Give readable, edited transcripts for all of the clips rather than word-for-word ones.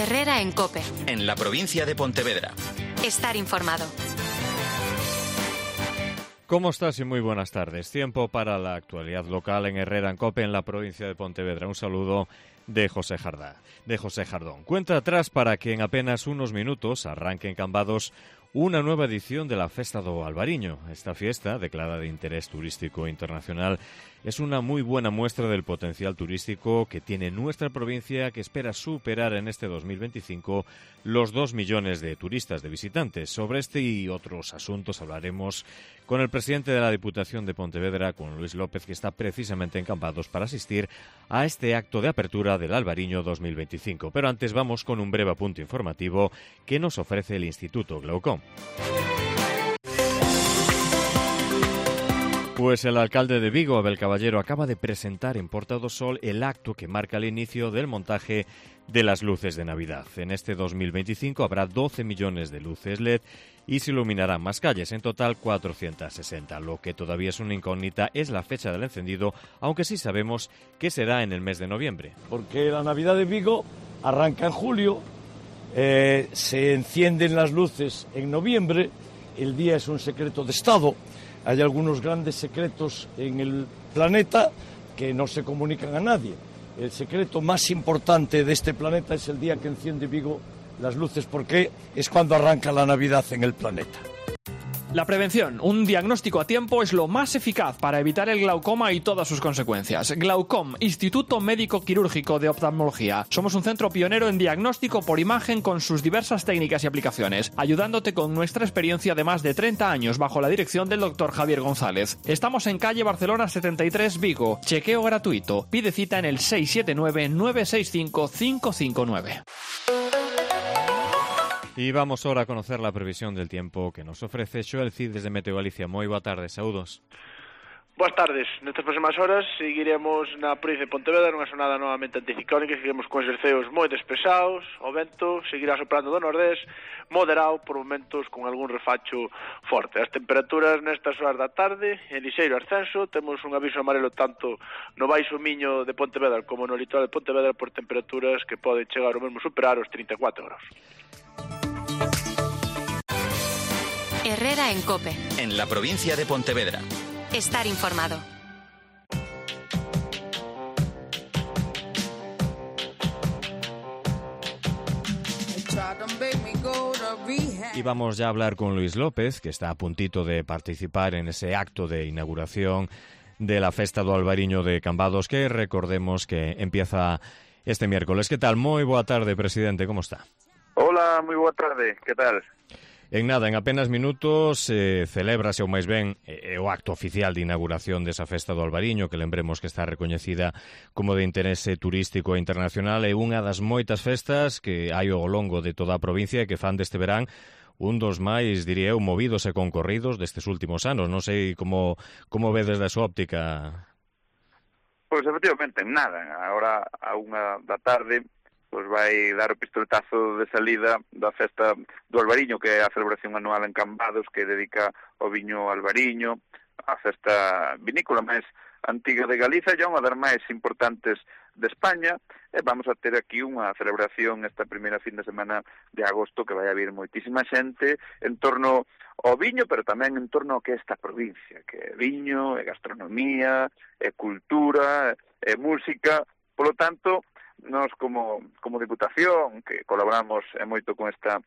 Herrera en COPE. En la provincia de Pontevedra. Estar informado. ¿Cómo estás? Y muy buenas tardes. Tiempo para la actualidad local en Herrera en COPE, en la provincia de Pontevedra. Un saludo de José Jardón. Cuenta atrás para que en apenas unos minutos arranque en Cambados una nueva edición de la Festa do Albariño. Esta fiesta, declarada de interés turístico internacional, es una muy buena muestra del potencial turístico que tiene nuestra provincia, que espera superar en este 2025 los 2 millones de turistas, de visitantes. Sobre este y otros asuntos hablaremos con el presidente de la Diputación de Pontevedra, con Luis López, que está precisamente en Cambados para asistir a este acto de apertura del Albariño 2025. Pero antes vamos con un breve apunte informativo que nos ofrece el Instituto Glaucom. Pues el alcalde de Vigo, Abel Caballero, acaba de presentar en Porta do Sol el acto que marca el inicio del montaje de las luces de Navidad. En este 2025 habrá 12 millones de luces LED y se iluminarán más calles, en total 460. Lo que todavía es una incógnita es la fecha del encendido, aunque sí sabemos que será en el mes de noviembre. Porque la Navidad de Vigo arranca en julio, se encienden las luces en noviembre, el día es un secreto de Estado. Hay algunos grandes secretos en el planeta que no se comunican a nadie. El secreto más importante de este planeta es el día que enciende Vigo las luces, porque es cuando arranca la Navidad en el planeta. La prevención, un diagnóstico a tiempo, es lo más eficaz para evitar el glaucoma y todas sus consecuencias. Glaucom, Instituto Médico Quirúrgico de Oftalmología. Somos un centro pionero en diagnóstico por imagen con sus diversas técnicas y aplicaciones, ayudándote con nuestra experiencia de más de 30 años bajo la dirección del Dr. Javier González. Estamos en calle Barcelona 73, Vigo. Chequeo gratuito. Pide cita en el 679-965-559. Y vamos ahora a conocer la previsión del tiempo que nos ofrece Xoel Cid desde Meteo Galicia. Moi boa tarde, saúdos. Boas tardes. Nestas próximas horas seguiremos na provincia de Pontevedra nunha sonada novamente anticiclónica, seguiremos con exerceos moi despesados, o vento seguirá soprando do nordés, moderado por momentos con algún refacho forte. As temperaturas nestas horas da tarde, en lixeiro ascenso, temos un aviso amarelo tanto no Baixo Miño de Pontevedra como no litoral de Pontevedra por temperaturas que poden chegar ao mesmo superar os 34 graus. Herrera en COPE. En la provincia de Pontevedra. Estar informado. Y vamos ya a hablar con Luis López, que está a puntito de participar en ese acto de inauguración de la Festa do Albariño de Cambados, que recordemos que empieza este miércoles. ¿Qué tal? Moi boa tarde, presidente, como está? Hola, moi boa tarde, que tal? En nada, en apenas minutos celébrase, ou máis ben, o acto oficial de inauguración desa Festa do Albariño, que lembremos que está recoñecida como de interese turístico internacional, e unha das moitas festas que hai ao longo de toda a provincia e que fan deste verán un dos máis, diría eu, movidos e concorridos destes últimos anos. Non sei como ve desde a súa óptica. Pois efectivamente, nada, agora a 1 da tarde pois vai dar o pistoletazo de salida da Festa do Albariño, que é a celebración anual en Cambados que dedica ao viño albariño, a festa vinícola máis antiga de Galiza e unha das máis importantes de España, e vamos a ter aquí unha celebración esta primeira fin de semana de agosto que vai haber moitísima xente en torno ao viño, pero tamén en torno ao que é esta provincia, que é viño, é gastronomía, é cultura, é música. Polo tanto, nós como Diputación, que colaboramos moito con esta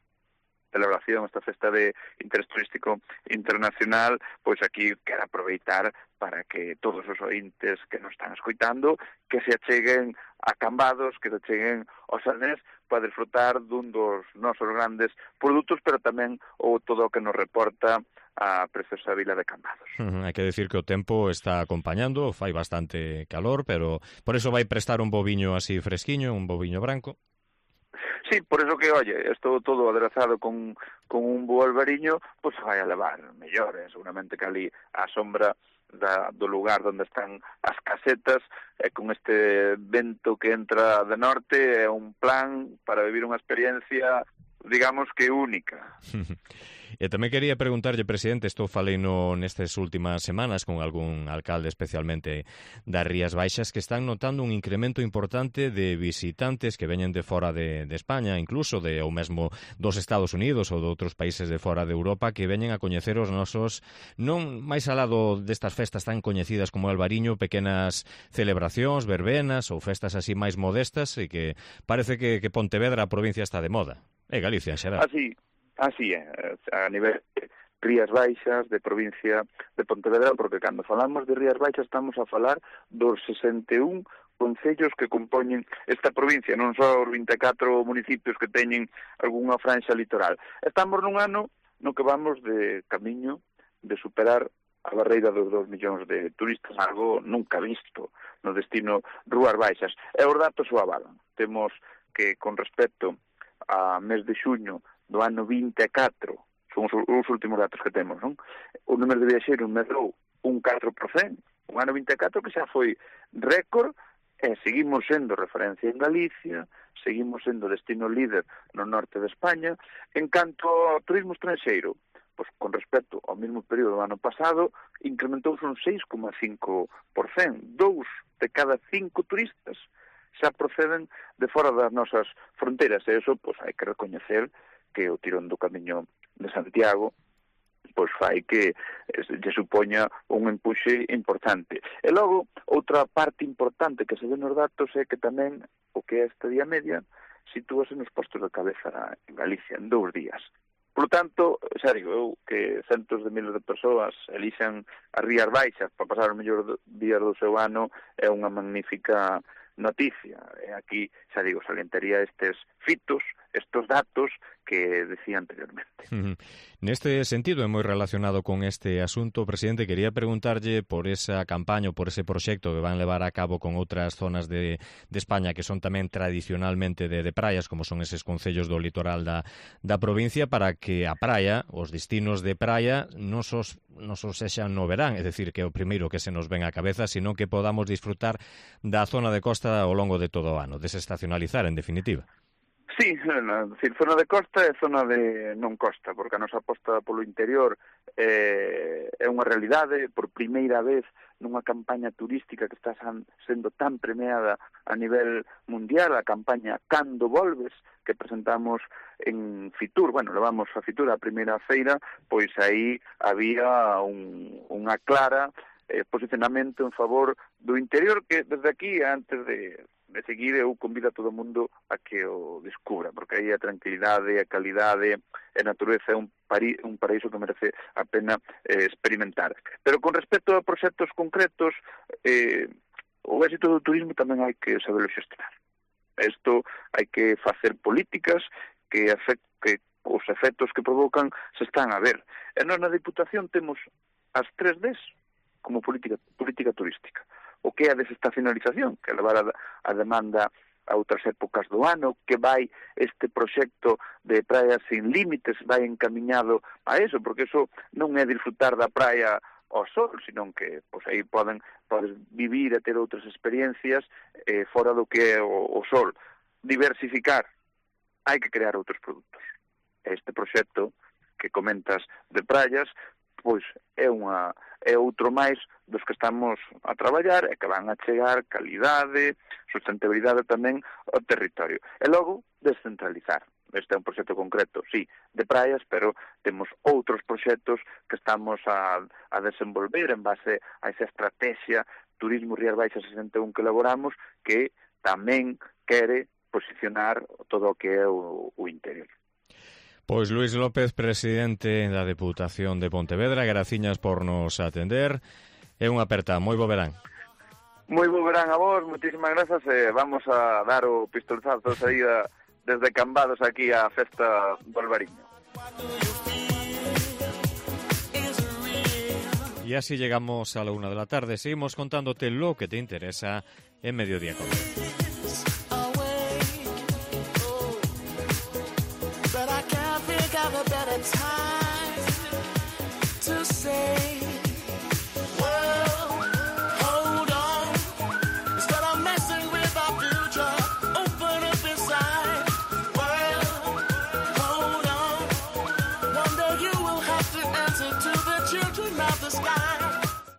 celebración, esta festa de interés turístico internacional, pois aquí quero aproveitar para que todos os ointes que nos están escoitando que se acheguen a Cambados, que se acheguen ao Salnés para disfrutar dun dos nosos grandes produtos, pero tamén o todo o que nos reporta a preciosa vila de Cambados. Hai que decir que o tempo está acompañando, fai bastante calor, pero por eso vai prestar un boviño así fresquiño, un boviño branco. Sí, por eso que, oye, esto todo aderezado con un bo albariño, pois se vai a levar mellor, seguramente que ali a sombra do lugar onde están as casetas, e con este vento que entra de norte, é un plan para vivir unha experiencia digamos que única. E tamén quería preguntarlle, presidente, isto falei nestas últimas semanas con algún alcalde, especialmente das Rías Baixas, que están notando un incremento importante de visitantes que veñen de fora de España, incluso ou mesmo dos Estados Unidos ou de outros países de fora de Europa, que veñen a coñecer os nosos, non máis alado destas festas tan coñecidas como Albariño, pequenas celebracións, verbenas ou festas así máis modestas, e que parece que Pontevedra, a provincia, está de moda. E Galicia en xeral. Así é, a nivel de Rías Baixas, de provincia de Pontevedra, porque cando falamos de Rías Baixas estamos a falar dos 61 concellos que compoñen esta provincia, non só os 24 municipios que teñen algunha franxa litoral. Estamos nun ano no que vamos de camiño de superar a barreira dos 2 millóns de turistas, algo nunca visto no destino Rías Baixas. E os datos o avalan. Temos que, con respecto a mes de xuño do ano 24, son os últimos datos que temos, non? O número de viaxeiros medrou un 4%, un ano 24 que xa foi récord, e seguimos sendo referencia en Galicia, seguimos sendo destino líder no norte de España. En canto ao turismo estranxeiro, pois con respecto ao mesmo período do ano pasado, incrementouse un 6,5%. 2 de cada 5 turistas xa proceden de fora das nosas fronteiras, e iso pois hai que recoñecer que o tirón do Camiño de Santiago pois fai que lle supoña un empuxe importante. E logo, outra parte importante que se ve nos datos é que tamén o que é esta día media sitúase nos postos de cabeza en Galicia en 2 días. Por tanto, xa digo eu que centos de miles de persoas elixan as Rías Baixas para pasar os mellores días do seu ano é unha magnífica noticia. E aquí, xa digo, salientaría estes fitos, estos datos que decía anteriormente. Neste sentido, é moi relacionado con este asunto, presidente, quería preguntarlle por esa campaña ou por ese proxecto que van levar a cabo con outras zonas de España que son tamén tradicionalmente de praias, como son eses concellos do litoral da provincia, para que a praia, os destinos de praia, non só sexan no verán, é dicir, que é o primeiro que se nos ven á cabeza, sino que podamos disfrutar da zona de costa ao longo de todo o ano, desestacionalizar, en definitiva. Sí, decir, zona de costa e zona de non costa, porque a nosa aposta polo interior é unha realidade. Por primeira vez nunha campaña turística que está sendo tan premiada a nivel mundial, a campaña Cando Volves, que presentamos en Fitur, levamos a Fitur a primeira feira, pois aí había unha clara posicionamento en favor do interior, que desde aquí, antes de seguir, eu convido a todo o mundo a que o descubra, porque aí a tranquilidade, a calidade e a natureza é un paraíso que merece a pena experimentar. Pero con respecto a proxectos concretos, o éxito do turismo tamén hai que saberlo xestionar. Isto hai que facer políticas que os efectos que provocan se están a ver. E nós na Diputación temos as 3 Ds como política turística. O que é a desestacionalización, que levar a demanda a outras épocas do ano, que vai este proxecto de praias sin límites, vai encamiñado a eso, porque eso non é disfrutar da praia ao sol, sino que pois aí podes vivir e ter outras experiencias fora do que é o sol. Diversificar, hai que crear outros produtos. Este proxecto que comentas de praias, pois é outro máis dos que estamos a traballar e que van a chegar calidade, sustentabilidade tamén ao territorio. E logo, descentralizar. Este é un proxecto concreto, sí, de praias, pero temos outros proxectos que estamos a desenvolver en base a esa estrategia Turismo Rías Baixas 61 que elaboramos, que tamén quere posicionar todo o que é o interior. Pois Luís López, presidente da Deputación de Pontevedra, graciñas por nos atender. É unha aperta, moi bo verán. Moi bo verán a vos, moitísimas grazas, e vamos a dar o pistolzazo de saída desde Cambados aquí á festa do Albariño. E así llegamos a la 1 de la tarde. Seguimos contándote lo que te interesa en Mediodía Cope. But I can't think of a better time.